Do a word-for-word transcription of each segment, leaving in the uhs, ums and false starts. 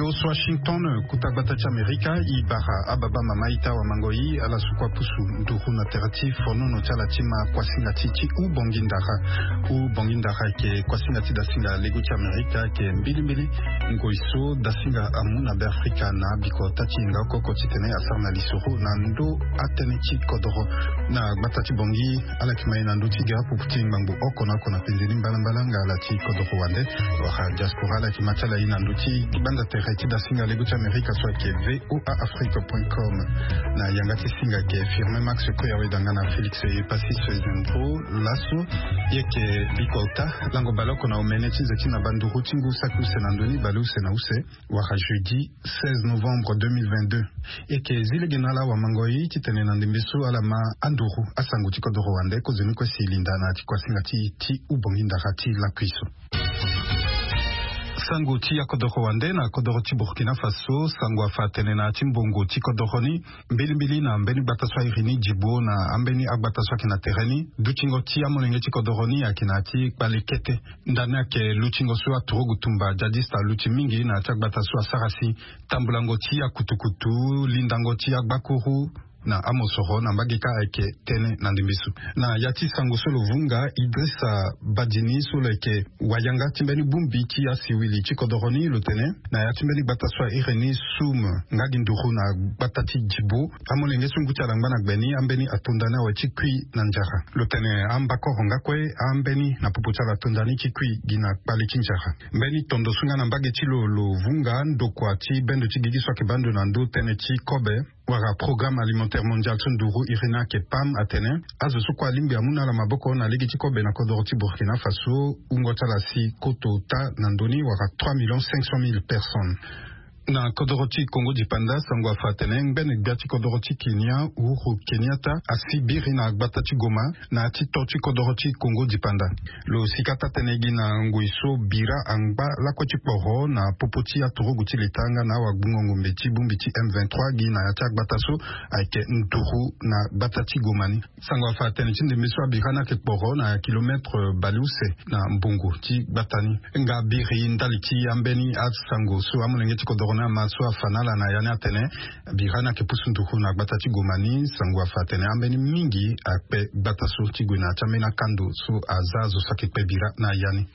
Washington, kuta gbata ti Amerika, i bara ababa mama ita wamango i ala su kua pusu nduru na tere ti fonono ti ala ti ma kuasinga ti ti u bongi ndara. U bongi ndara ayeke kuasinga ti dasinga lego ti Amerika ayeke mbilimbili ngoi so dasinga amu na Be Afrika na bikota ti hinga oko oko titene asara na lisoro na ndo atënë ti kodoro. Na gbata ti bongi, ala yeke ma e na ndö ti gere pupu ti ngbangbo oko na oko na penze ni mbalambala nga ala ti kodoro wande. Wala diaspora ala yeke ma ti ala e na ndö ti gbanda tere ti dasinga lego ti Amerika so ayeke V O A Afrique point com. Na yanga ti singa ayeke Firmin Max Koyawe danga na Félix Epasis Zendro. Laso ye yeke bikota lango baleoko na omene ti nze ti na banduru ti ngu saki use na ndö ni baleuse na use. Wala jeudi seize novembre deux mille vingt-deux. E yeke zi lege na ala wamango i titene na ndembe so ala ma anduru asango ti kodoro wande kozoni kue si linda na ya ti kuasinga ti ti u bongi ndara ti lakui so. Sango ti akodoro wande na kodoro ti Burkina Faso, sango afa atene na ya ti mbongo ti kodoro ni, mbilimbili na mbeni gbata so airi ni Djibo na ambeni agbata so ayeke na tere ni, dutingo ti amolenge ti kodoro ni ayeke na ya ti kpale kete. Ndani ayeke lutingo so aturugu tumba djadiste aluti mingi na ya ti agbata so asara si tambulango ti akutukutu, lindango ti agbakuru na amosoro na mbage kâ ayeke tënë na ndembe so. Na ya ti sango so lo vunga, Idrissa Badjini so lo yeke wayanga ti mbeni bongbi ti asiwili ti kodoro ni lo tene, na ya ti mbeni gbata so airi ni Soum nga gi nduru na gbata ti Djibo, amolenge so ngu ti ala ngba na gbe ni ambeni atonda ni awe ti kui na nzara. Lo tene ambakoro nga kue ambeni na popo ti ala atonda ni ti kui gi na kpale ti nzara. Mbeni tondo so nga na mbage ti lo lo vunga ndokua ti bendo ti gigi so ayeke baa ndo na ndö tënë ti kobe wala Programme Alimentaire Mondial so nduru iri ni ayeke PAM atene azo so kue alingbi amu na ala maboko na lege ti kobe na kodoro ti Burkina Faso, wungo ti ala si koto ota na ndö ni wala trois millions cinq cent mille personnes. Na kodoro ti Congo dipanda, sango afa atene ngbene gbia ti kodoro ti Kenya, Uhuru Kenyatta, asi biri na gbata ti Goma na ya ti to ti kodoro ti Congo dipanda. Lo sika taa-tënë gi na ngoi so bira angba lakue ti kporo na popo ti aturugu ti leta nga na awagbungo ngombe ti bongbi ti M vingt-trois gi na ya ti agbata so ayeke nduru na gbata ti Goma ni. Sango afa atene ti ndembe so abira ni ayeke kporo na kilometre baleuse na mbongo ti gbata ni. Nga biri ndali ti ambeni asango so amolenge ti kodoro ni ama so afa na ala na ya ni atene bira ni ayeke pusu nduru na gbata ti Goma ni. Sango afa atene ambeni mingi akpe gbata so ti gue na ya ti ambeni akando so aza azo so ayeke kpe bira na ya ni.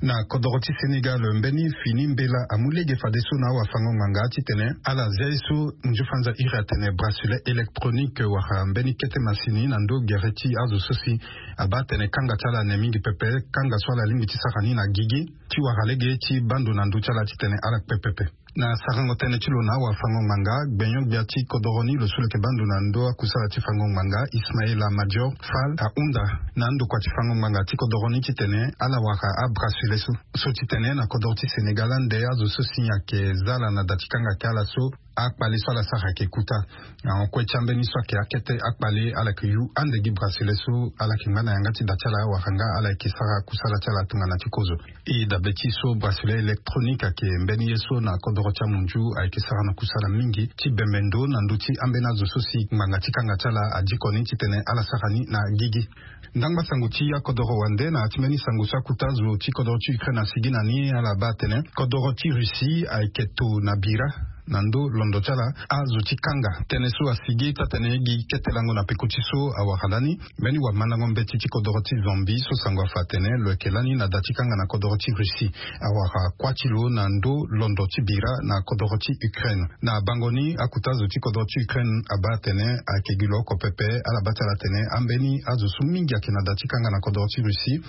Na kodoro ti Sénégal, mbeni fini mbela amu lege fadeso na awafango-ngbanga titene ala zia ye so nziofanza iri atene bracelet électronique wala mbeni kete masini na ndo gere ti azo so si abaa atene kanga ti ala ne mingi pepe, kanga so ala lingbi ti sara ni na gigi ti wara lege ti baa ndo na ndö ti ala titene ala kpe pepe. Na sarango tënë ti lo na awafango-ngbanga, gbenyo-gbia ti kodoro ni lo so lo yeke baa ndo na ndö akusala ti fango-ngbanga, Ismaïla Madior Fall, ahunda na andokua ti fango-ngbanga ti kodoro ni titene ala wara abracelet so. So titene na kodoro ti Sénégal ande azo so si ayeke za ala na da ti kanga ayeke ala so, akpale so ala sara ayeke kuta. Na hon kue ti ambeni so ayeke akete akpale ala yeke yu ande gi bracelet so ala yeke ngba na yanga ti da ti ala wala nga ala yeke sara kusala ti ala tongana ti kozo. E dabe ti so bracelet électronique ayeke mbeni ye so na kodoro ti amunzu ayeke sara na kusala mingi ti bembe ndo na ndö ti ambeni azo so si ngbanga ti kanga ti ala adiko ni titene ala sara ni na gigi. Ndangba sango ti akodoro wande na ya ti mbeni sango so akuta zo ti kodoro ti Ukraine asigi na ni ala baa atene kodoro ti Russie ayeke to na bira na ndo londo ti ala azo ti kanga. Tënë so asigi taa-tënë gi kete lango na peko ti so awara lani mbeni wamandango mbeti ti kodoro ti Zambie so sango afa atene lo yeke lani na da ti kanga na kodoro ti Russie. Awara kuâ ti lo na ndo londo ti bira na kodoro ti Ukraine. Na bango ni akuta zo ti kodoro ti Ukraine abaa atene ayeke gi lo oko pepe. Ala baa ti ala atene ambeni azo so mingi ayeke na da ti kanga na kodoro ti Russie.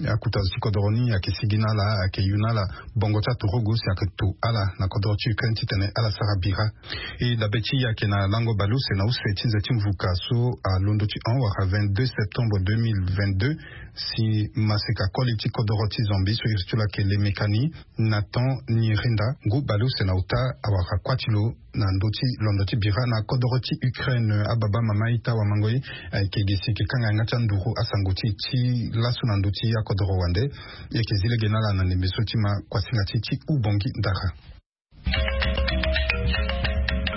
Akuta zo ti kodoro ni ayeke sigi na ala, ayeke yu na ala bongo ti aturugu si ayeke to ala na kodoro ti Ukraine titene ala sara bira. E dabe ti e ayeke na lango baleuse na use ti nze ti mvuka so alondo ti hon wala vingt-deux septembre deux mille vingt-deux, si maseka koli ti kodoro ti Zambie so iri ti lo ayeke Lemekani, Nathan Nyirinda, ngu baleuse na ota, awara kuâ ti lo na ndö ti londo ti bira na kodoro ti Ukraine. Ababa mama ita wamango e, ayeke gi si e yeke kanga yanga ti anduru asango ti e ti laso na ndö ti akodoro wande. E yeke zi lege na ala na ndembe so ti ma kuasinga ti e ti u bongi ndara.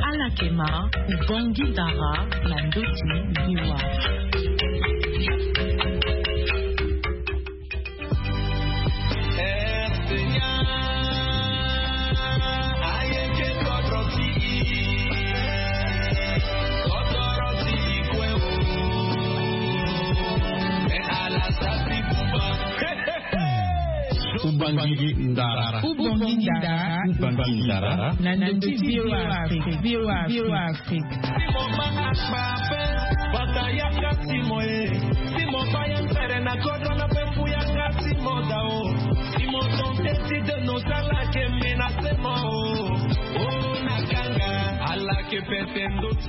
Ala yeke ma u bongi ndara na ndö ti biwa. Ndara. Ubongi ndara. Ubongi ndara. Na ndö ti V O A Afrique. V O A Afrique.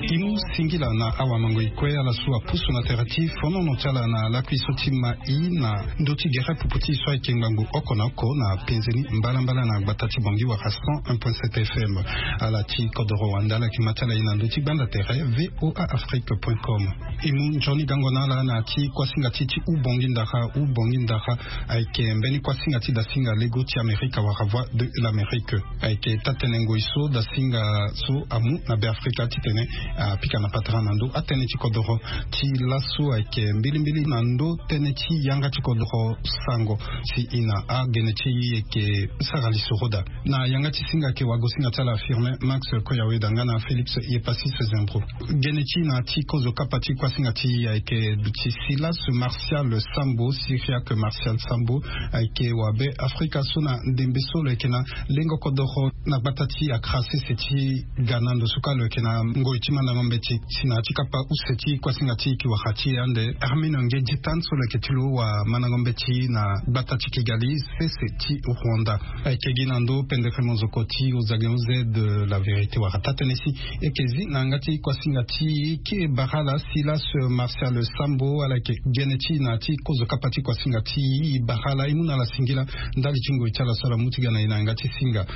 Ti mu singila na awamango e kue ala so apusu na tere ti fonono ti ala na lakui so ti ma i na ndö ti gere pupu ti e so ayeke ngbangbo oko na oko na penze ni mbalambala na gbata ti Bangui wala cent un point sept F M. Ala ti kodoro wande ala yeke ma ti ala e na ndö ti gbanda tere V O A Afrique point com. E mu nzoni gango na ala na ya ti kuasinga ti ti Ubongi ndara. Ubongi ndara ayeke mbeni kuasinga ti dasinga lego ti Amerika wala Voix de l'Amérique. Ayeke taa-tënë ngoi so dasinga so amu na Beafrika titene apika na patara na ndö atënë ti kodoro. Ti laso ayeke mbilimbili na ndö tënë ti yanga ti kodoro sango si e na agene ti e yeke sara lisoro daa. Na yanga ti singa ayeke wagosinga ti ala Firmin Max Koyaweda nga na Félix Yepassis Zembro. Gene ti e na ya ti kozo kapa ti kuasinga ti e ayeke duti Silas Martial Sambo, Cyriaque Martial Sambo, ayeke wabe Afrika so na ndembe so lo yeke na lengo kodoro na gbata ti Accra sese ti Ghana. Ndo so kâ lo yeke na ngoi ti mandango mbeti si na ya ti kapa use ti kuasinga ti e e yeke wara ti e ande Hermine Nge Ditan so lo yeke ti lo wamandango mbeti na gbata ti Kigali sese ti Rwanda. Ayeke gi na ndö pendere mozoko ti Ozage Oze de la Vérité wala taa-tënë si e yeke zi na yanga ti kuasinga ti e. Kiri bara ala Silas Martial Sambo, ala yeke gene ti e na ya ti kozo kapa ti kuasinga ti e. E bara ala, e mu na ala singila ndali ti ngoi ti ala so ala mu ti ga na e na yanga ti singa.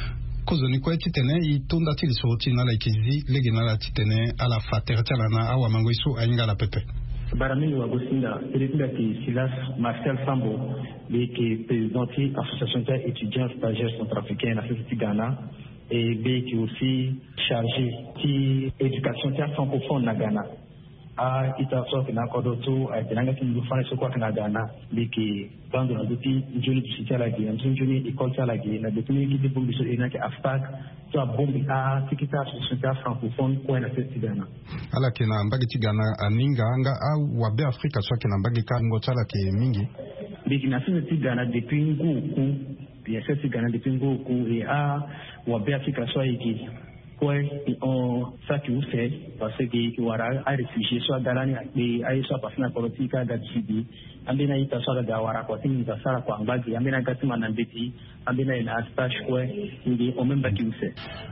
Kozo ni kue titene e to nda ti lisoro ti e na ala, e yeke zi lege na ala titene ala fa tere ti ala na awamango e so ahinga ala pepe. Bara mingi wagosinga. Iri ti mbi ayeke Silas Martial Sambo. Mbi yeke président ti association ti a-étudiant stagiaire centrafricain na sese ti Ghana. E mbi yeke aussi chargé ti éducation ti afrancophone na Ghana. A-ita so ayeke na akodro so ayeke na yanga ti munzu fani so kue ayeke na Ghana. Mbi yeke baa ndo na ndö ti nzoni duti ti ala ge, na ndö ti nzoni école ti ala ge, na gbe ti mbeni gi ti bongbi so e na yeke AFPAC, so abongbi atikita association ti afrancophone kue na sese ti Ghana. Ala yeke na mbage ti Ghana aninga nga awabe Afrika so ayeke na mbage kâ wungo ti ala ayeke mingi. Mbi yeke na sese ti Ghana depuis ngu oku. Mbi yeke na sese ti Ghana depuis ngu oku. E awabe Afrika so ayeke kue e hon saki use, parce que e yeke wara aréfugié so aga lani akpe aye so apassé na kodro ti e kâ aga duti ge. Ambeni a-ita so aga ga awara kua ti nginza so ala kua angba ge, ambeni aga ti manda mbeti, ambeni aye na astage kue. Mbi hon même mbaki use.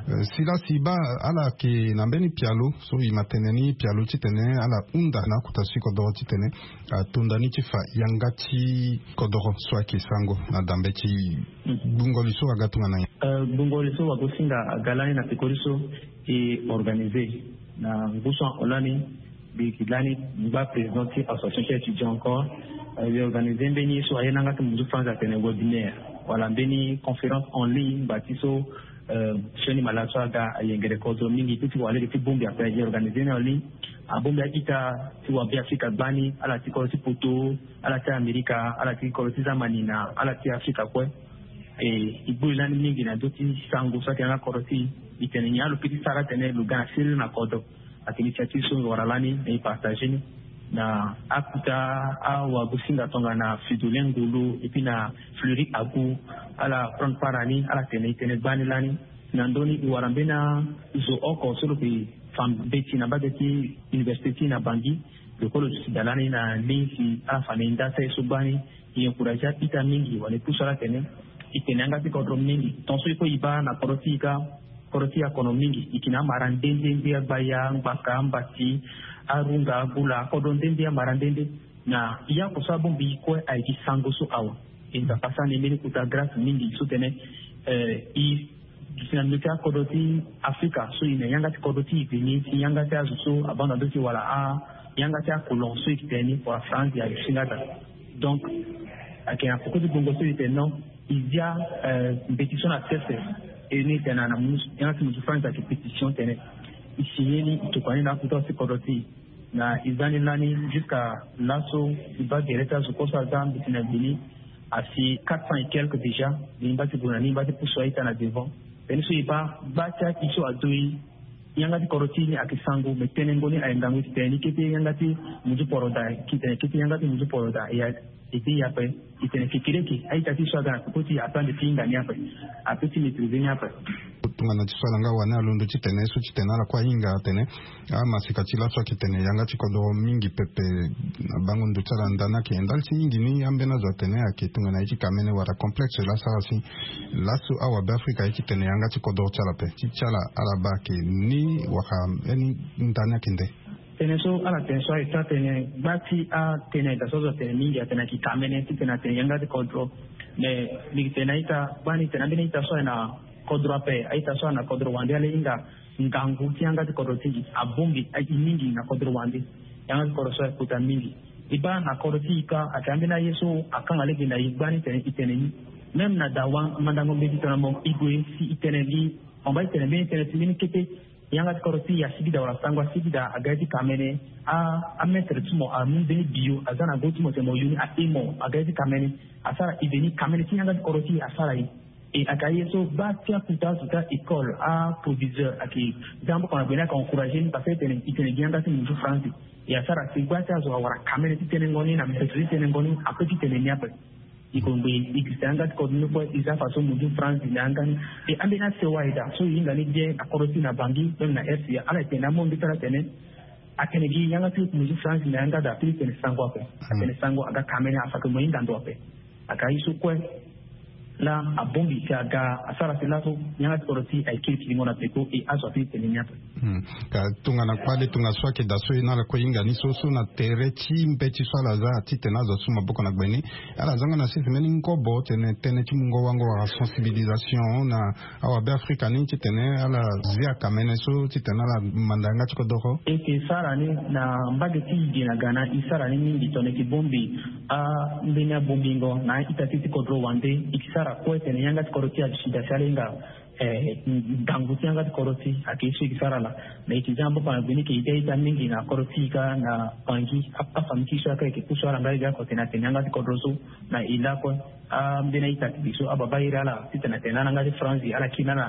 Eh, Silas, e baa ala yeke na mbeni pialo so e ma tene ni pialo titene ala hunda na akota ti kodoro titene ato nda ni ti fa yanga ti kodoro so ayeke sango na dambe ti gbungo li so aga tongana nyen? Eh, gbungo li so wagosinga aga lani na pekoni so e organisé na ngu so ahon lani. Mbi yeke lani ngba président ti association ti étudiant encore. Eh, e organisé mbeni ye so aye na yanga ti munzu France atene webinaire wala mbeni conférence en ligne ngba ti so, eh, sioni malaga so aga ayengere kodro mingi ti ti wara lege ti bongbi ape. E organisé ni en ligne. Abongbi a-ita ti wabe Afrika gbani, ala ti kodro ti poto, ala ti Amerika, ala ti kodro ti zamani na ala ti Afrika kue. E, e gbu e lani mingi na ndö ti sango so ayeke na kodro ti e. E tene nyen alo peut ti sara atene lo ga na siriri na kodro. Ayeke initiative so mbi wara lani na e partagé ni na akota awagosinga tongana Fridolin Ngolo et puis na Fleury Agu. Ala prendre part na ni, ala tene e tene gbani lani. Na ndö ni e wara mbeni azo oko so lo yeke fa mbeti na mbage ti université ti e na Bangui. Lo kue lo duti daa lani na ligne si ala fa na e nda ti aye so gbani. E encouragé a-ita mingi wala e pusu ala atene e tene yanga ti kodro mingi. Tongaso e kue e baa na kodro ti e kâ, kodro ti e akono mingi. E yeke na amara nde nde nde, agbaya, angbaka, ambati, arunga, agula, akodro nde nde, amara nde nde. Na e oko so abongbi e kue ayeke sango so awe. E Nzapa asara na e mbeni kota grâce mingi so tene, eh, e duti na ndö ti akodro ti Afrika so e na yanga ti kodro ti e veni ti yanga ti azo so abaa na ndö ti e wala a yanga ti akolon so e yeke tene ni wala France, e aduti nga daa. Donc ayeke na peko ti gbongo so e tene non, e zia, eh, mbeti so na sese. E ni e tene na, na yanga ti munzu France ayeke pétition tene e signé ni, e tokua ni na akota ti kodro ti e. Na e za ni lani jusqu'à laso e baa gere ti azo kue so aza mbeti na gbe ni asi quatre cents et quelques déjà. Mbi ngba ti gue na ni, mbi ngba ti pusu a-ita na devant. Tënë so e baa gba ti aki so ato e, yanga ti kodro ti e ni ayeke sango, me tenengo ni aye ngangu ti tene ni kete yanga ti munzu poro daa, ki tene kete yanga ti munzu poro daa. E ya Ete ya pe, itene kekereke a-ita ti so aga na koko ti apande ti hinga ni ape. Ape ti maîtrise ni ape. Tongana ti so ala nga wani alondo titene so titene ala kue ahinga atene amasika ti laso ayeke tene yanga ti kodro mingi pepe. Na bango ndo ti ala ndani ayeke ndali ti mingi ni ambeni azo atene ayeke tongana ye ti kamene wala complexe laso ala si laso awabe afrika ye ti tene yanga ti kodro ti ala pe ti ti ala ala baa ayeke ni wala mbeni ndani ayeke nde. Tënë so ala tene so ayeke taa tënë gba ti atënë daa so azo atene mingi atene ayeke kamene titene atene yanga ti kodro. Mais mbi yeke tene na ita gbani tene ambeni ita so ayeke na kodro ape a-ita so ayeke na kodro wande ala hinga ngangu ti yanga ti kodro ti gi abongbi aye mingi na kodro wande. Yanga ti kodro so ayeke kota mingi. E baa na kodro ti e kâ ayeke ambeni aye so akanga lege na e gbani tene e tene ni. Même na dawa mandango mbeti tongana mo e gue si e tene gi mo baa e tene mbeni tënë ti mbeni kete. Yanga ti kodro ti e asigi daa wala sango asigi daa aga ye ti kamene. Amaître ti mo amu mbeni biyo aza na go ti mo tene mo yu ni ahe mo aga ye ti kamene. Asara e veni kamene ti yanga ti kodro ti e asara e. E ayeke aye so baa ti akuta azo ti a-école aproviseur ayeke za mboka na gue ni ayeke encourager ni parce que e tene e tene gi yanga ti munzu franzi. E asara si gba ti azo awara kamene ti tenengo ni na mbeto ti tenengo ni ape ti tene ni ape. E kongbe e gi si yanga ti kodro ni kue e za faso munzu franzi na yanga ni. E ambeni asewa aye daa so e hinga ni bien na kodro ti na bangi même na rca ala yeke tene na amonge ti ala tene. Atene gi yanga ti munzu franzi na yanga daa pe ti tene sango ape. Atene sango aga kamene afa ke mo hinga ndo ape. Aga ye so kue. Laa abongbi si aga asara si laso yanga ti kodro ti e aye kiri kiringo na peko e azo ape ti tene ni ape. Ka tongana kpale tongana so ayeke daa so e na ala kue hinga ni so so na tere ti mbeti so ala za titene azo asu maboko na gbe ni. Ala za nga na sese mbeni ngobo tene tënë ti mungo wango wala sensibilisation na awabe afrika ni titene ala zia kamene so titene ala manda yanga ti kodoro. E yeke sara ni na mbage ti e ge na ga na e sara ni mingi tongana e yeke bongbi ambeni abongbingo na a-ita ti ti kodro wande. E yeke sara kue tene yanga ti kodro ti e adusi daa si ala hinga ngangu ti yanga ti kodro ti e ayeke ye so e yeke sara laa. Me e yeke za mboka na gue ni e yeke ita mingi na kodro ti e kâ na pangi. Afami ti e so ayeke pusu ala nga e ga ako tene atene yanga ti kodro so na e lakue. Ambeni a-ita ti e so ababa iri ala titene atene na yanga ti franzi ala kiri na ala.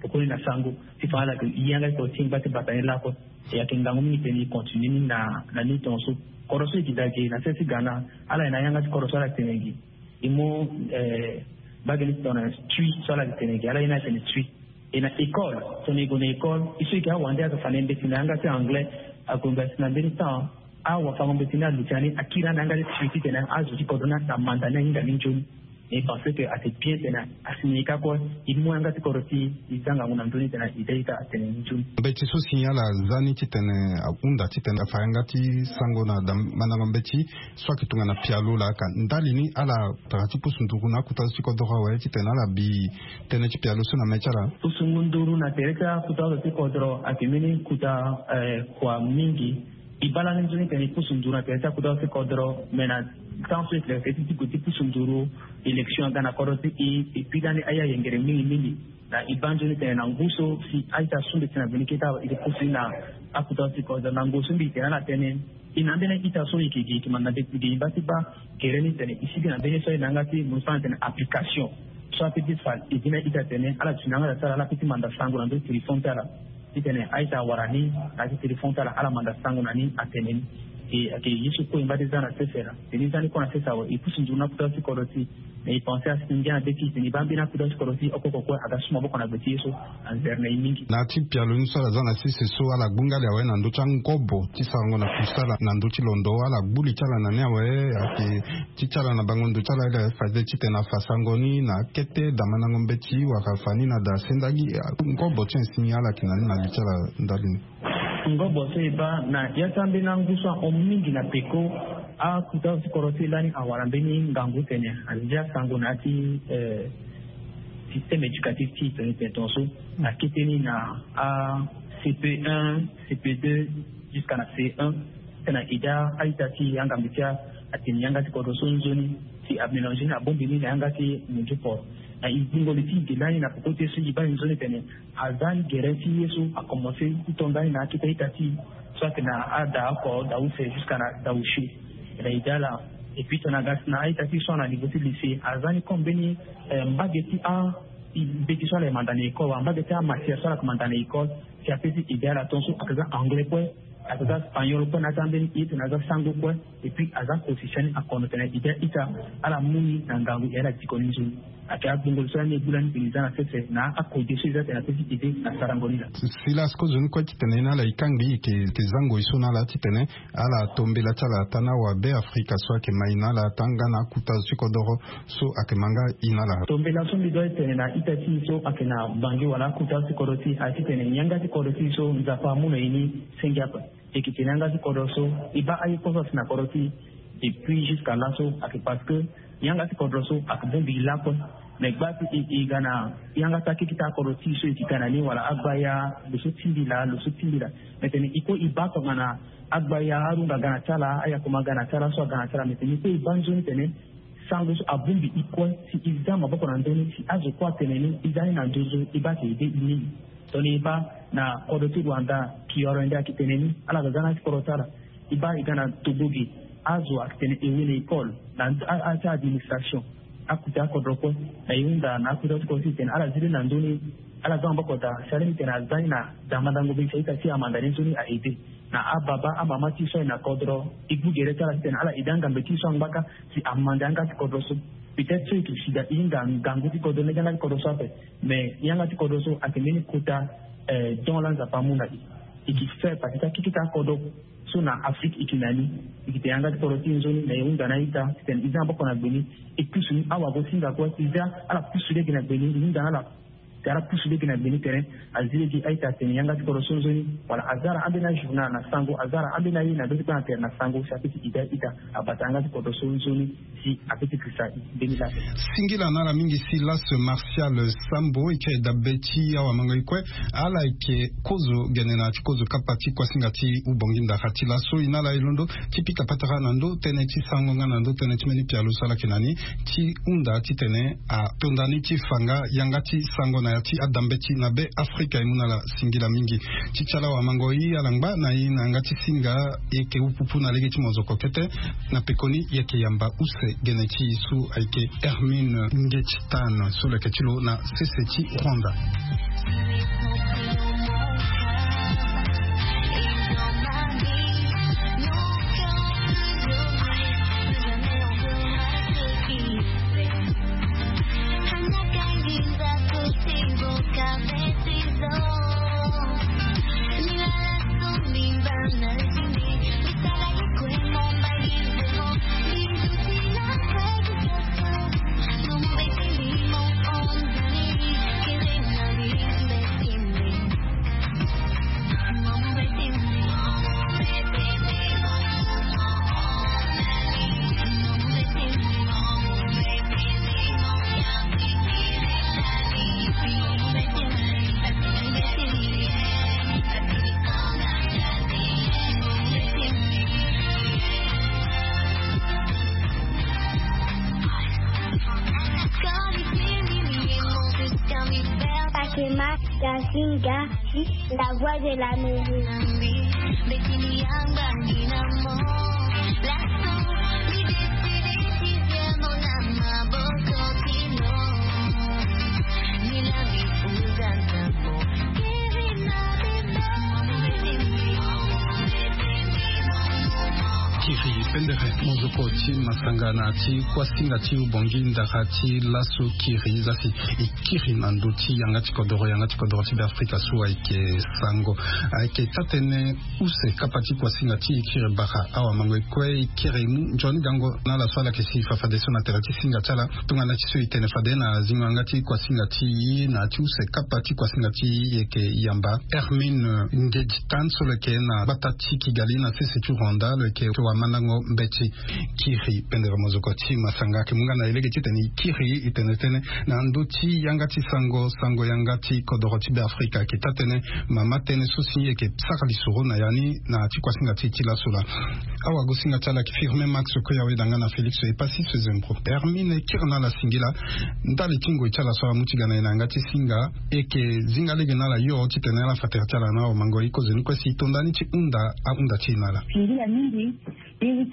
Pokoni na sango ti fa ala yeke e yanga ti kodro ti e ngba ti bata ni lakue. E ayeke ngangu mingi tene e continue ni na ni tongaso. Kodro so e gi daa ge na sese ti ga na ala ye na yanga ti kodro so ala tene gi. E mu mbage ni tongana tui so ala yeke tene gi ala ye ni atene tui. E na école tongana e gue na école e so e yeke awande ayeke fa na e mbeti na yanga ti anglais. Ague ngba si na mbeni temps awafango mbeti ni aluti ani akiri ani na yanga ti tui titene azo ti kodro ni amanda ni ahinga ni nzoni. E pense ke ate bien tene asi na e kâ kue. E mu yanga ti kodro ti e e za ngangu na ndö ni tene e daa ita atene ni nzoni. Mbeti so si ala za ni titene ahunda titene afa yanga ti sango na mandango mbeti so ayeke tongana pialo laa ka ndali ni ala tara ti pusu nduru na akuta so ti kodro awe titene ala bi tënë ti pialo so na mê ti ala. Pusu ngu nduru na tere ti akuta so ti kodro ayeke mbeni kuta kua mingi. E baa lani nzoni tene e pusu nduru na tere ti akuta so ti kodro me na temps so e tene ti ti gue ti pusu nduru élection aga na kodro ti e. E pi lani aye ayengere mingi mingi. Na e baa nzoni tene na ngu so si a-ita so mbi tene na gue ni kete awe e yeke pusu ni na akuta so ti kodro na ngu so mbi tene ala tënë. E na ambeni a-ita so e yeke gi e yeke manda mbeti ge e baa ti baa gere ni tene e sigi na mbeni so aye na yanga ti mo so atene application so ape ti fa e gi na a-ita tene ala duti na yanga daa ti ala ala pe ti manda sango na ndö ti téléphone ti ala. Titene a-ita awara ni na ya ti téléphone ti ala ala manda sango na ni atene ni. E ayeke ye so kue e ngba ti za na sese laa. Tene e za ni kue na sese awe e pusu nzoni na akuta so ti kodro ti e. Mais e pense asi ngia na be ti e tene e baa mbeni akuta so ti kodro ti e oko oko kue aga su maboko na gbe ti ye so. Anzere na e mingi. Na ya ti pialo ni so ala za na sese so ala gbu nga li awe na ndö ti angobo ti sarango na kusala na ndö ti londo ala gbu li ti ala na ni awe. Ayeke ti ti ala na bango ndo ti ala ala faze titene afa sango ni na akete daa mandango mbeti wala afa ni na daa sendagi. Ngobo ti nyen si ala yeke na ni na li ti ala ndali ni? Ngobo so e baa na ya ti ambeni angu so ahon mingi na peko. Akuta so ti kodro ti e lani awara mbeni ngangu tene azia sango na ya ti système éducatif ti e tene tene tongaso. Akete ni na a cp un, cp deux, jusqu'à na c un. Tena ida a-ita ti e angambe ti atene yanga ti kodro so nzoni si amélange ni abongbi ni na yanga ti munzu port. Na e gbungo li ti e ge lani na peko ti ye so e baa e nzoni tene aza ni gere ti ye so akomanse ti to ndani na akete a-ita ti e so ayeke na ada oko da use jusqu'à na da usio. Na ida ala. Et puis tongana aga si na a-ita ti e so ana niveau ti lycée aza ni comme mbeni mbage ti a mbeti so ala yeke manda na école wala mbage ti amatière so ala yeke manda na école. Si ape ti ida ala tongaso ayeke za anglais kue, ayeke za spagnol kue na ya ti ambeni ye tene aza sango kue. Et puis aza kosi siani akono tene ide ita ala mu ni na ngangu e ala diko ni nzoni. Ake agbongolo so lani e gbu lani tene e za na sese na akode so e za tene ape ti ede na sarango ni laa. Silas, kozoni kue titene e na ala e kangbi e yeke zango e so na ala titene ala tombela ti ala ata na awabe afrika so ayeke ma e na ala ata nga na akuta zo ti kodoro so ayeke ma nga e na ala. Tombela so mbi doit tene na ita ti e so ayeke na bangi wala akuta zo ti kodro ti e aye titene yanga ti kodro ti e so nzapa amu na e ni senge ape. E yeke tene yanga ti kodro so e baa aye kue so asi na kodro ti e. Depuis jusqu'à laso ayeke parce que yanga ti kodro so ayeke bongbi e lakue. Mais gba ti e e ga na yanga ti akekita akodro ti e so e yeke ga na ni wala agbaya lo so tingbi laa lo so tingbi laa. Mais tene e kue e baa tongana agbaya arunga aga na ti ala ayakoma aga na ti ala so aga na ti ala mais tene e kue e baa nzoni tene sango so abongbi e kue si e za maboko na ndö ni si azo kue atene ni e za ni na nduzu e baa si e de e ni. Tongana e baa na kodro ti rwanda kioro nde ayeke tene ni ala ga ga na ti kodro ti ala. E baa e ga na togo ge azo ayeke tene e wene école na ati administration. Akuta akodro kue na e hunda na akuta ti kodro ti e tene ala zi lani na ndö ni. Ala za maboko daa si alingbi tene aza ni na damandango be si a-ita ti amanda ni nzoni a-ede na ababa amama ti e so aye na kodro. E gbu gere ti ala titene ala ede angambe ti e so angbaka si amanda yanga ti kodro so. Peut-être so e yeke si daa e hinga ngangu ti kodro lege yanga ti kodro so ape. Mais yanga ti kodro so ayeke mbeni kota don la nzapa amu na e. E ke faire partie ti akekita akodro so na afrique e ke na ni. E ke tene yanga ti kodro ti e nzoni na e hunda na a-ita titene e za maboko na gbe ni. E pusu ni awagosinga kue e za ala pusu lege na gbe ni e hunda na ala. Te ala pusu lege na gbe ni tene azi lege a-ita atene yanga ti kodro so nzoni wala aza ala ambeni ajournal na sango aza ala ambeni aye na ndö ti kpana tere na sango si ape ti ida a-ita abata yanga ti kodro so nzoni si ape ti krisa e mbeni laa. Singila na ala mingi si laso martial sambo e kiri dabe ti awamango e kue. Ala yeke kozo gene na ya ti kozo kapa ti kuasinga ti ubongi ndara ti laso e na ala e londo ti pika patara na ndö tënë ti sango nga na ndö tënë ti mbeni pialo so ala yeke na ni ti hunda titene atonda ni ti fa nga yanga ti sango na ya ti adambeti na be afrika e mu na ala. Singila mingi ti ti ala wamango e ala ngba na e na yanga ti singa. E yeke upupu na lege ti mozoko kete na pekoni e yeke yamba use gene ti e so ayeke hermine ngeti tan so lo yeke ti lo na sese ti rwanda. Pakema, Gazinga, la voix de l'Amérique. Kiri pendere mozoko ti masanga na ti kuasinga ti ubongi ndara ti laso kiri za si e kiri na ndö ti yanga ti kodoro yanga ti kodoro ti be afrika so ayeke sango ayeke taa-tënë use kapa ti kuasinga ti e kiri bara awamango e kue e kiri e mu nzoni gango na ala so ala yeke si fafadeso na tere ti singa ti ala. Tongana ti so e tene fade na zingo yanga ti kuasinga ti e na ya ti use kapa ti kuasinga ti e e yeke yamba hermine ngedi tan so lo yeke na gbata ti kigali na sese ti rwanda lo yeke wamandango mbeti. Kiri pendere mozoko ti masanga ayeke mu nga na e lege titene e kiri e tene tënë na ndö ti yanga ti sango sango yanga ti kodoro ti be afrika ayeke taa-tënë mama tënë so si e yeke sara lisoro na ya ni na ya ti kuasinga ti e ti laso laa. Awagosinga ti ala ayeke firme max kue awe danga na félix e pasi so e zembro hermine e kiri na ala singila. Ndali ti ngoi ti ala so ala mu ti ga na e na yanga ti singa e yeke zinga lege na ala yo titene ala fa tere ti ala na awamango e kozoni kue si e tonda ni ti hunda ahunda ti e na ala. Singila mingi.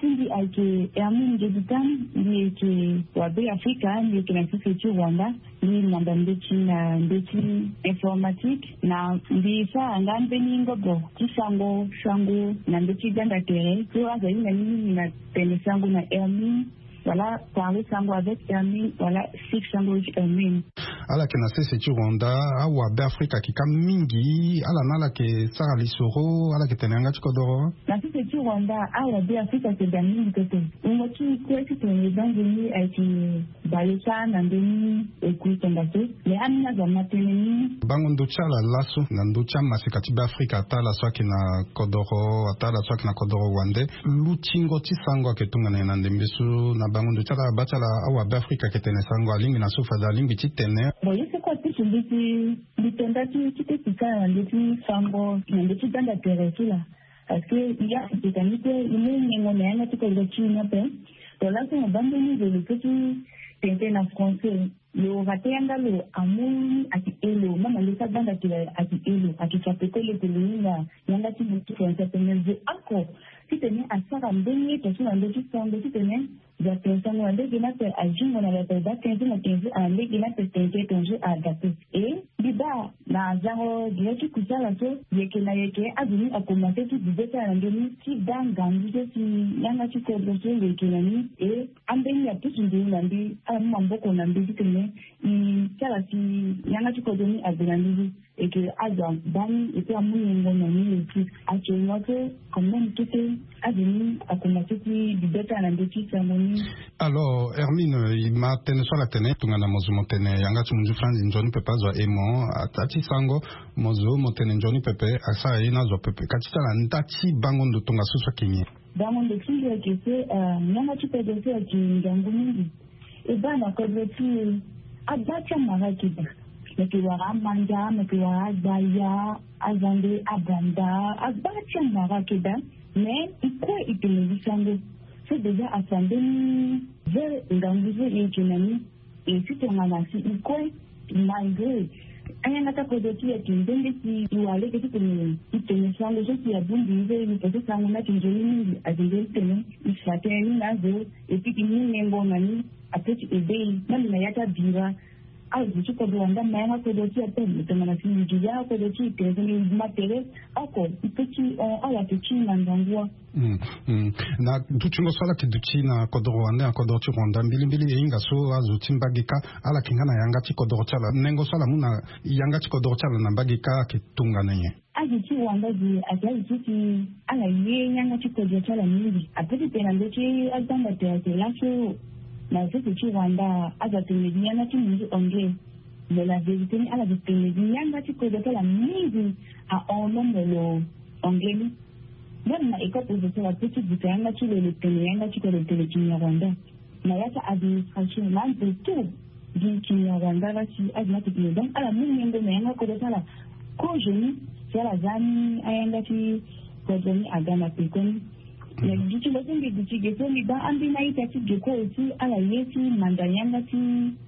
Ti mbi ayeke Hermine Ngedi Tam, mbi yeke wa Be Afrika, mbi yeke na sese ti Rwanda. Mbi manda mbeti na mbeti informatique na mbi sara nga mbeni ngobo ti sango sango na mbeti gbanda tere so aza hinga ni mingi na tene sango na Hermine, wala parler sango avec Hermine, wala sik sango ti Hermine. Ala yeke na sese ti Rwanda, awa Be Afrika ayeke ka mingi. Ala na ala yeke sara lisoro, ala yeke tene yanga ti kodoro. Na sese ti Rwanda, awa Be Afrika ayeke da mingi pepe. Wungo ti kue ti tene bango ni ayeke bale sara na ndö ni. Ekui tongaso. Me ambeni azo ama tënë ni. Bango ndo ti ala laso na ndö ti amaseka ti Be Afrika, ataa ala so ayeke na kodoro, ataa ala so ayeke na kodoro wande. Lutingo ti sango ayeke tongana nyen na ndembe so na bango ndo ti ala? Aba ti ala awa Be Afrika ayeke tene sango alingbi na so fade alingbi ti tene. Bon, ye so kue apusu mbi ti mbi tonda ti ti ti sara na ndö ti sango na ndö ti gbanda tere ti la. Parce que ya ti teka ni kue, i mu nyengo na yanga ti kodro ti i ni ape. To laso mo baa mbeni zo lo so ti tene na français. Lo rate yanga lo amu ni ayeke e lo, même lo sa gbanda ti lo ayeke e lo, ayeke fa peko lo ke lo hinga yanga ti lo ti français ape. Me zo oko titene asara mbeni ye tongaso na ndö ti sango titene zo atene sango na ndege ni ape, azingo na lo ape, baa quinze na quinze na ndege ni ape, tene tene tongaso a adapte. E mbi baa na zango gere ti kusala so, yeke na yeke azo ni akomanse ti bibe ti ala na ndö ni ti baa ngangu so si yanga ti kodro so lo yeke na ni. E ambeni apusu nduru na mbi, ala mu maboko na mbi titene i ti ala si yanga ti kodro ni ague na nduru. Eke azo abaa ni, eke amu nyengo na ni eke. Actuellement so, quand même, kete azo ni akomanse ti bibe ti ala na ndö ti sango ni. Alors Hermine, i ma tënë so ala tene tongana mo zo mo tene yanga ti munzu France nzoni pepe azo aye mo, ataa ti sango mo zo mo tene nzoni pepe asara ye ni azo pepe. Ka ti ti ala nda ti bango ndo tongaso so ayeke nyen? Bango ndo ti nge ayeke so, eh, yanga ti kodro so ayeke ngangu mingi. E baa na kodro ti e, agba ti amara ayeke daa. Mo yeke wara amanda, mo yeke wara agbaya, azande, abanda, agba ti amara ayeke daa. Me i kue i tene gi sango so déjà afa mbeni ve ngangu so e yeke na ni. E si tongana si i kue, malgré ayanga ti akodro ti e ayeke nde nde si i wara lege titene i tene sango so si abongbi i ve, i pese sango ni ayeke nzoni mingi, ayeke nzoni titene i fa tënë ni na azo. Et puis i mu nyengo na ni, ape ti aidé i même na ya ti abira. Azo ti kodro wande ama yanga kodro ti e ape, me tongana si i gi yanga kodro ti e tene tene i ma tere oko, i pe ti hon ala yeke ti na ngangu wa. Hmm, hmm. Na dutingo so ala yeke duti na kodro wande na kodro ti Rwanda, mbilimbili e hinga so azo ti mbage kâ ala yeke nga na yanga ti kodro ti ala. Nengo so ala mu na yanga ti kodro ti ala na mbage kâ ayeke tongana nyen? Azo ti Rwanda ge ayeke azo so si ala ye yanga ti kodro ti ala mingi. Ape ti tene na ndö ti agbanda tere ayeke laso na sese ti Rwanda azo atene gi yanga ti munzu anglais. Mais la vérité ni ala yeke tene gi yanga ti kodro ti ala mingi ahon même lo anglais ni. Même na école professeur ape ti buta yanga ti lo, lo tene yanga ti kodro, lo tene kinyarwanda. Na ya ti administration na azo tout gi kinyarwanda la si azo ni ayeke tene. Donc ala mu nyengo na yanga kodro ti ala. Kozo ni si ala za ni ayanga ti kodro ni aga na peko ni. Mais duti lo so mbi duti ge so mbi baa ambeni a-ita ti ge kue aussi ala ye ti manda yanga ti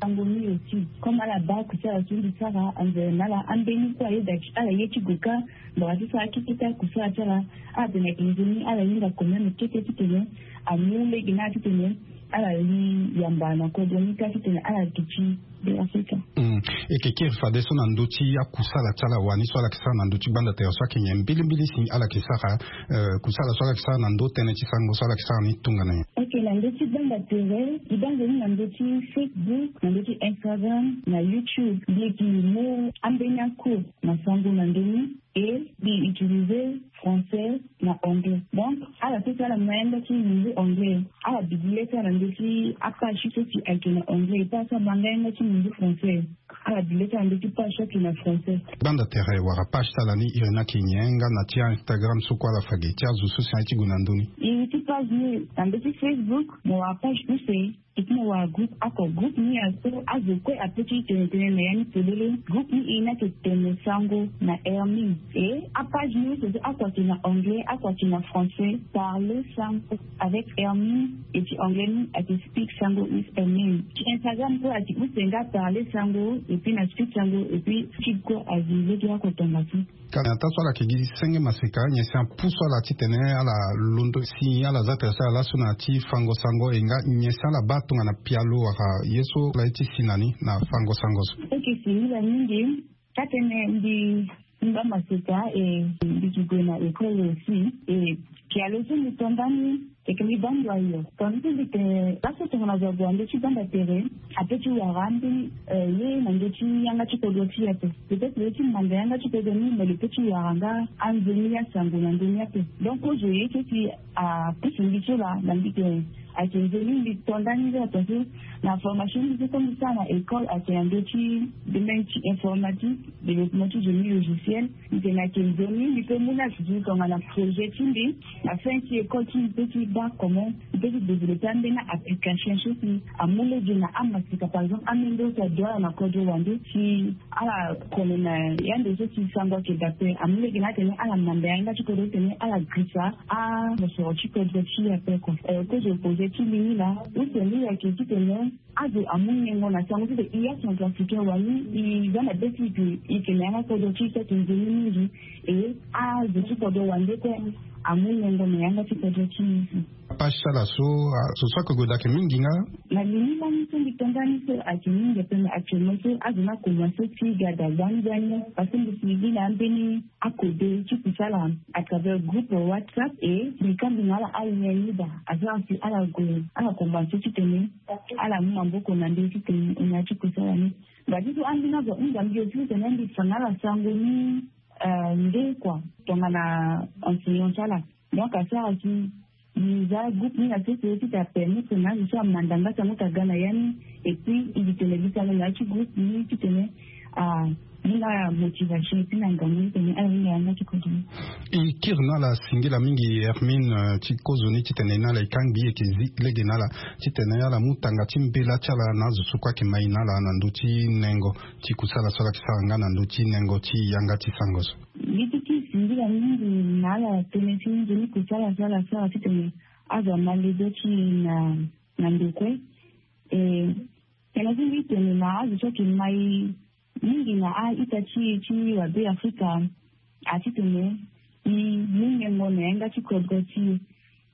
sango ni aussi. Comme ala baa kusala so mbi sara anzere na ala, ambeni kue ayeda ti ala ye ti gue kâ. Ngbanga ti sara kete kâ kusala ti ala. Ala tene ayeke nzoni ala hinga quand même kete titene amu lege ni ala titene ala li yamba na kodro ni kâ titene ala duti. Be Afrika. Hmm. E yeke kiri fadeso na ndö ti akusala ti ala wani so ala yeke sara na ndö ti gbanda tere so ayeke nyen mbilimbili si ala yeke sara, eh, kusala so ala yeke sara na ndö tënë ti sango so ala yeke sara ni tongana nyen? Ok, na ndö ti gbanda tere, e baa nzoni na ndö ti Facebook, na ndö ti Instagram, na YouTube, mbi yeke mu ambeni acours na sango na ndö ni. E mbi utiliser français na anglais. Donc ala so si ala ma yanga ti munzu anglais, ala duti le ti ala na ndö ti apage so si ayeke na anglais, e pas so abaa nga yanga ti munzu français, ala duti le ti ala na ndö ti page so ayeke na français. Gbanda tere wala page ti ala ni iri ni ayeke nyen? Nga na ti Instagram so kue ala fa ge, ti azo so si aye ti gue na ndö ni? Iri ti page ni na ndö ti Facebook mo wara page use. Epui na wara groupe oko, groupe ni aso azo kue ape ti tene tene na ya ni polele. Groupe ni e ni ayeke tene sango na Hermine. E apage nyonso so oko ayeke na anglais, oko ayeke na français. Parler sango avec Hermine. Epui anglais ni ayeke speak sango with Hermine. Ti Instagram kue ayeke use nga parler sango epui na speak sango epui ti kue azi lege oko tongaso. Ka na ya ta so ala yeke gi senge maseka nyen si apusu ala titene ala londo si ala za tere si ala laso na ya ti fango sango e nga nyen si ala baa tongana pialo wala ye so ala ye ti si na ni na fango sango so. Oke, singila mingi. Ka tene mbi ngba maseka e mbi yeke gue na école aussi. E pialo so mbi to ndani e yeke mbi baa ndo ayo. Tongana so mbi tene laso tongana zo ague na ndö ti banda tere ape ti wara ambeni ye na ndö ti yanga ti kodro ti e ape. Peut-être lo ye ti manda yanga ti kodro ni me lo pe ti wara nga anzoni asango na ndö ni ape. Donc kozo ye ti si apusu mbi so laa na mbi tene ayeke nzoni mbi to ndani nde ato so na formation mbi so so mbi sara na école ayeke na ndö ti domaine ti informatique, développement ti génie logiciel. Mbi tene ayeke nzoni mbi pe mu ni asisi tongana projet ti mbi na fin ti école ti mbi pe ti baa comment mbi pe ti développer ambeni application so si amu lege na amaseka par exemple amendo so ado ala na kodro wande si ala kone na yande so si sango ayeke daa ape amu lege na atene ala manda yanga ti kodro titene ala girisa amosoro ti kodro ti e ape kua. Kozo projet ti mbi ni laa use ni ayeke titene azo amu nyengo na sango ti tene e acentrafricain wani e za na be ti e ke e ke na yanga kodro ti e so ayeke nzoni mingi. E azo ti kodro wande kue amu nyengo na yanga ti kodro ti e. Apage ti ala so azo so ayeke gue daa ayeke mingi nga. Na li ni lani so mbi to ndani so ayeke mingi ape me actuellement so azo ni akomanse ti ga daa gbani gbani parce que mbi si gi na ambeni akode ti kusala à travers groupe WhatsApp. E mbi kangbi na ala alien ni daa asara si ala gue ala komanse titene ala mu maboko na ndö titene e na ya ti kusala ni. Ngba ti so ambeni azo ahunda mbi aussi titene mbi fa na ala sango ni nde kua tongana enseignant ti ala. Donc asara si mbi za groupe ni na sese ti ta permettre na azo so amanda nga sango ti aga na ya ni. Et puis mbi tene mbi sango na ya ti groupe ni titene amu na motivation et puis na ngangu titene ala hinga yanga ti kodro ni. E kiri na ala singila mingi Hermine ti kozo ni titene na ala e kangbi e yeke zi lege na ala titene ala mu tanga ti mbela ti ala na azo so kue ayeke mai na ala na ndö ti nengo ti kusala so ala yeke sara nga na ndö ti nengo ti yanga ti sango so. Mbi ti ti singila mingi na ala tënë ti nzoni kusala so ala sara titene azo ama lege ti e na na ndo kue. E tene ti mbi tene na azo so ayeke mai mingi na a-ita ti e ti wabe afrika atitene e mu nyengo na yanga ti kodro ti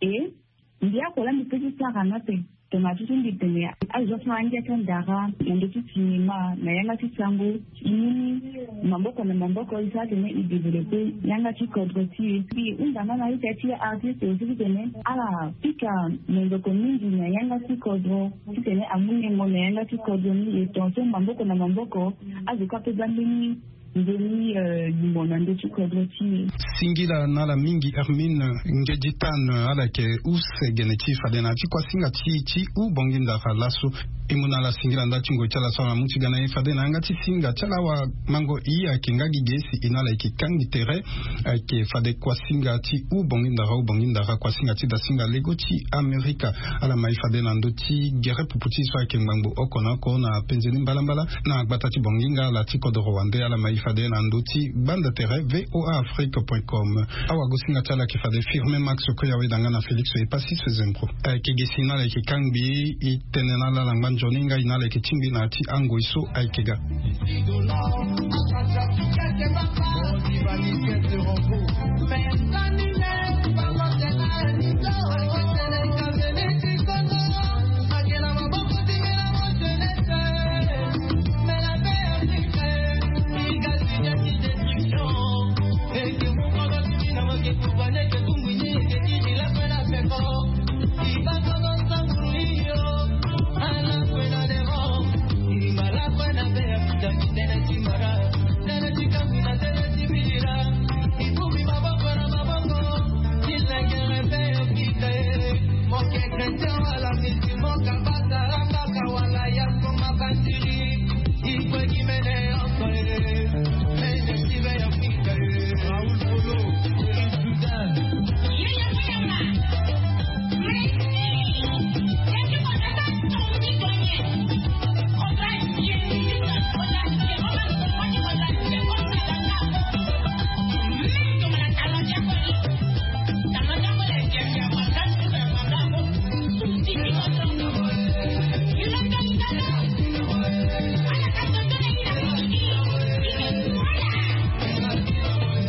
e. E mbi oko laa mbi pe ti sara ni ape. Tongana ti so mbi tene azo so angia ti andara na ndö ti sinema na yanga ti sango e mu ni maboko na maboko e sara tene e développer yanga ti kodro ti e. Mbi hunda nga na ita ti artiste aussi titene ala pika monzoko mingi na yanga ti kodro titene amu nyengo na yanga ti kodro ni e tongaso maboko na maboko azo kue ape baa mbeni nzoni limo na ndö ti kodro ti e. Singila na ala mingi Hermine Ngedi Tane, ala yeke use gene ti fade na ya ti kuasinga ti ti hou bongi ndara laso. E mu na ala singila nda ti ngoi ti ala so ala mu ti ga na e fade na yanga ti singa ti ala awamango i ayeke nga gi ge si e na ala yeke kangbi tere. Ayeke fade kuasinga ti hou bongi ndara hou bongi ndara kuasinga ti dasinga lego ti Amerika. Ala mai fade na ndö ti gere pupu ti so ayeke ngbangbo oko na oko na penze ni mbalambala na gbata ti bonginga ala ti kodoro wande ala mai fade na ndö ti gbanda tere voa afrique point com. Awagosinga ti ala ayeke fade Firmin Max Koyawe danga na Félix Epasis Zembro. Ayeke gi si na ala yeke kangbi e tene na ala na ngba nzoni nga e na ala yeke tingbi na ya ti angoi so ayeke ga.